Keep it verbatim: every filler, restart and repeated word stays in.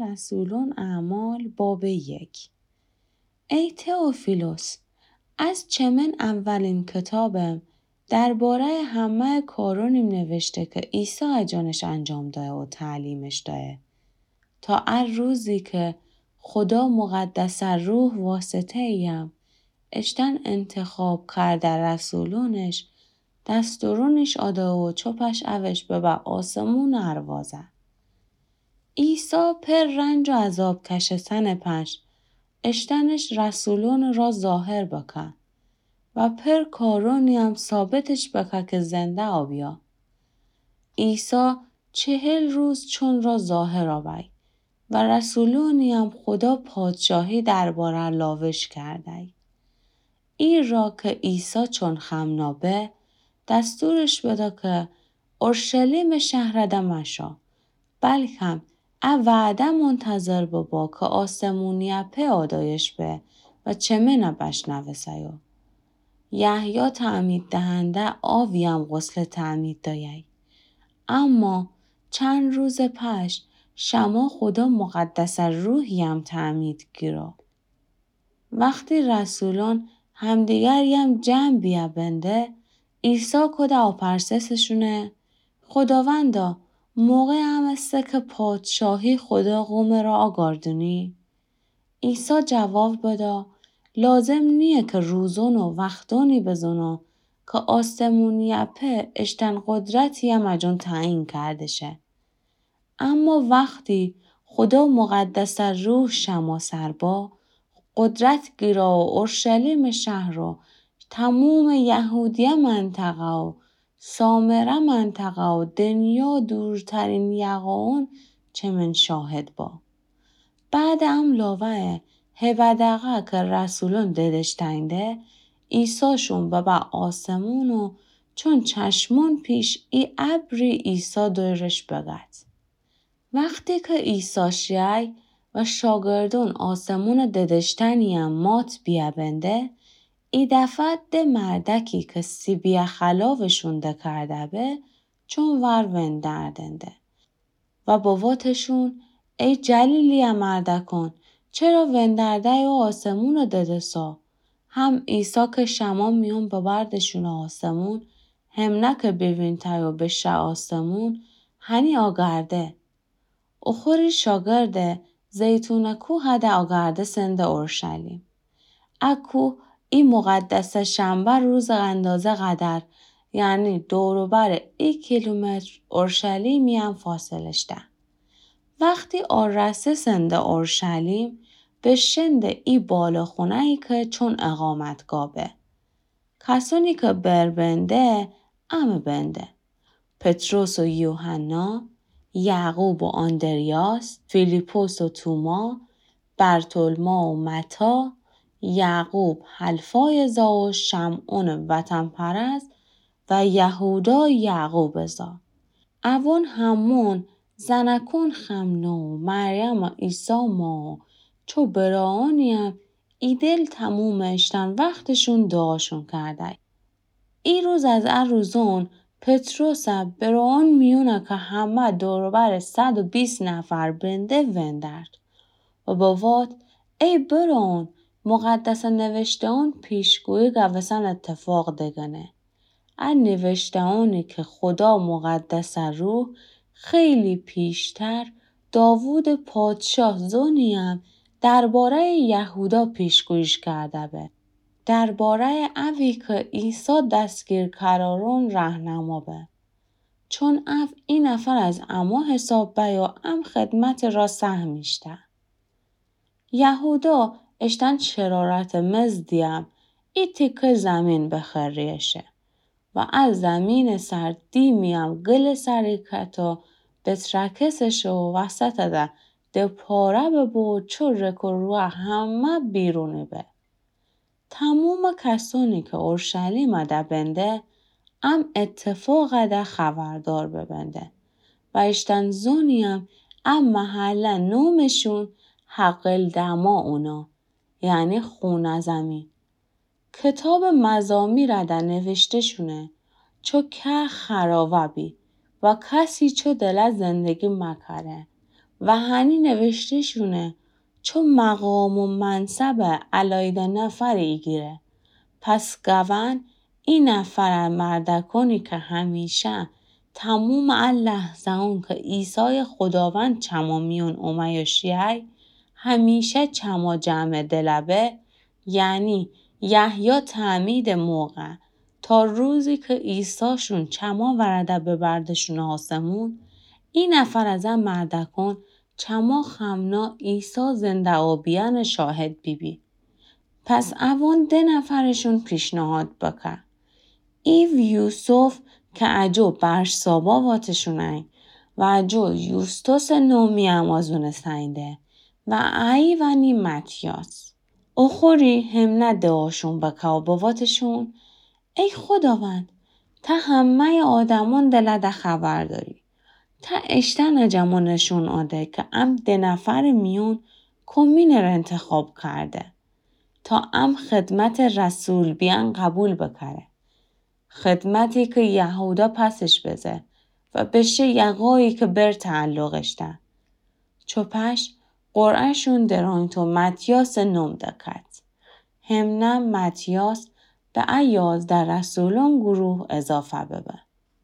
رسولون اعمال بابٚ یک. ای تئوفیلوس، از چمن اولین کتابم درباره‌یٚ همه‌یٚ کارونیم نوشته کی عیسی اجانش انجام دایه و تعلیمش دایه، تا ا روزی کی خودا مقدسٚ روح واسطه‌یم اشتن انتخاب کرده رسولونش دستورونیش آده و چوپش اوش ببه آسمونٚ اروازه. عیسی پر رنج و عذاب کشستنٚ پنج اشتنش رسولونٚ را ظاهر بکه و پر کارونیم ثابتش بکه کی زنده آبیا. عیسی چهل روز چون را ظاهر آبی و رسولونیم خودا پادشاهی درباره لاوش کردی. ای را کی عیسی چون خمنا به، دستورش بده کی اورشلیمٚ شهرده مشا، بلکم ا وعده منتظر ببا کی آسمونی‌یٚ پئ آدایش به و چمنه بشنوسه‌یو. یحیی تعمید دهنده آبیم غسلٚ تعمید دایی، اما چند روزٚ پس شما خودا مقدسٚ روحیم تعمید گیرا. وختی رسولون همدیگریم جمع بیه بنده، عیسی کوده آپرسه سشونه: خوداوندا، موقع امسه کی پادشاهی خودا قومٚ را آگاردونی؟ عیسی جواب بده: لازم نییه کی روزون و وختونی بزونو کی آسمونی‌یٚ پئ اشتن قدرتییم اجون تعیین کرده شه. اما وختی خودا مقدسٚ روح شما سر با، قدرت گیرا و اورشلیمٚ شهر و تمومٚ یهودیه منطقه و سامره منطقه و دنیا دورترین یقاون چمن شاهد با. بعد ام لاوه هیوده دقه کی رسولون ددش تنده، عیسی شون ببه آسمون و چون چشمون پیش ای ابری عیسی دویرش بگد. وختی کی عیسی شیی و شاگردون آسمونٚ ددشتنییم مات بیه بنده، ای دفعه د مردکی کی سیبیه خلاوشون دکرده به، چون ور وندردنده و بواتشون: ای جلیلی‌یٚ مردکون، چرا وندرده‌یی و آسمونٚ ددسا؟ هم عیسی کی شما میون ببردشون آسمون، هم نه کی بیوینته‌یی و بشه آسمون، هنی آگرده. اوخوری شاگرده زیتونٚ کوهده آگرده سنده اورشلیم. ا کوه ای مقدسٚ شنبه روزٚ اندازه قدر، یعنی دور و بر ای کیلومتر اورشلیمییم فاصلش ده. وختی آرسه سنده اورشلیم، بشنده ای بالاخونه‌یی کی چون اقامتگاه به. کسونی کی بر بنده، امه بنده: پطرس و یوحنا، یعقوب و آندریاس، فیلیپس و توما، برتولما و متی، یعقوب حلفایٚ زا و شمعونٚ وطن‌پرست و یهودا یعقوبٚ زا. اوون همون زنکون خمنا و مریمٚ عیسی ما و چو برارونییم ای دل تمومٚ اشتن وختشون دعاشون کردی. ای روز از ا روزون پطرس برارون میونه کی همه دور و بر صد و بیست نفر بنده وندرد و بوات: ای برارون، مقدسٚ نوشته‌یون پیشگویی گوسن اتفاق دگنه. ا نوشته‌یونی کی خودا مقدسٚ روح خیلی پیشتر داوودٚ پادشاه زونییم درباره‌یٚ یهودا پیشگوییش کرده به. درباره‌یٚ اوی کی عیسی دستگیر کرارون رهنما به. چون او ای نفر از امو حساب بی و ام خدمتٚ را سهمیش ده. یهودا اشتن شرارتٚ مزدییم ای تیکه زمین بخریشه و ا زمینٚ سر دیمییم گلٚ سری کته و بترکسشه و وسطٚ ده د پاره ببه و چو رک و روه همه بیرونی به. تمومٚ کسونی کی اورشلیمٚ ده بنده، ام اتفاقٚ ده خبردار ببنده و اشتن زونییم ا محله نومشون حقل دماع اونه، یعنی خونٚ زمین. کتابٚ مزامیرٚ ده نوشته شونه: چو کهر خرابه بی و کسی چو دله زندگی مکره. و هنی نوشته شونه، چو مقام و منصبٚ الأیده نفر ایگیره. پس گأوأن ای نفرٚ مردأکأنی کی همیشه تمومٚ ا لحظه‌أن کی عیسایٚ خوداوند چمو میون اومه‌یو شیی، همیشه چمو جمع دلبه، یعنی یحیی تعمیدٚ موقع تا روزی کی عیسی شون چمو ورده ببرده‌شون آسمون، ای نفر از ا مردأکأن چمو خمنا عیسی زنده اوبیأنٚ شاهد بیبی. پس اوأن ده نفرٚ شون پیشنهاد بکه. ایو یوسف کی اجو برشسابا واتشونه‌یی و اجو یوستوسٚ نومی امازونٚ سنیده و ایی وأنی متیاس. اوخوری حمنه دعاشون بکه و بواتشون، ای خوداوند، ته همه‌یٚ آدمأن دلده خبر دأری. ته اشتأنٚ جمو نشون آده کی ام ده نفرٚ میون کومینٚ ره انتخاب کرده تا ام خدمتٚ رسول بیأن قبول بکره. خدمتی کی یهودا پسش بزه و بشه یقایی کی بر تعلقش ده. چوپش قرعه‌شون درأنگیت و متیاسٚ نوم دکت. حمنه متیاس به ا یازده رسولأن گروه اضافه ببه.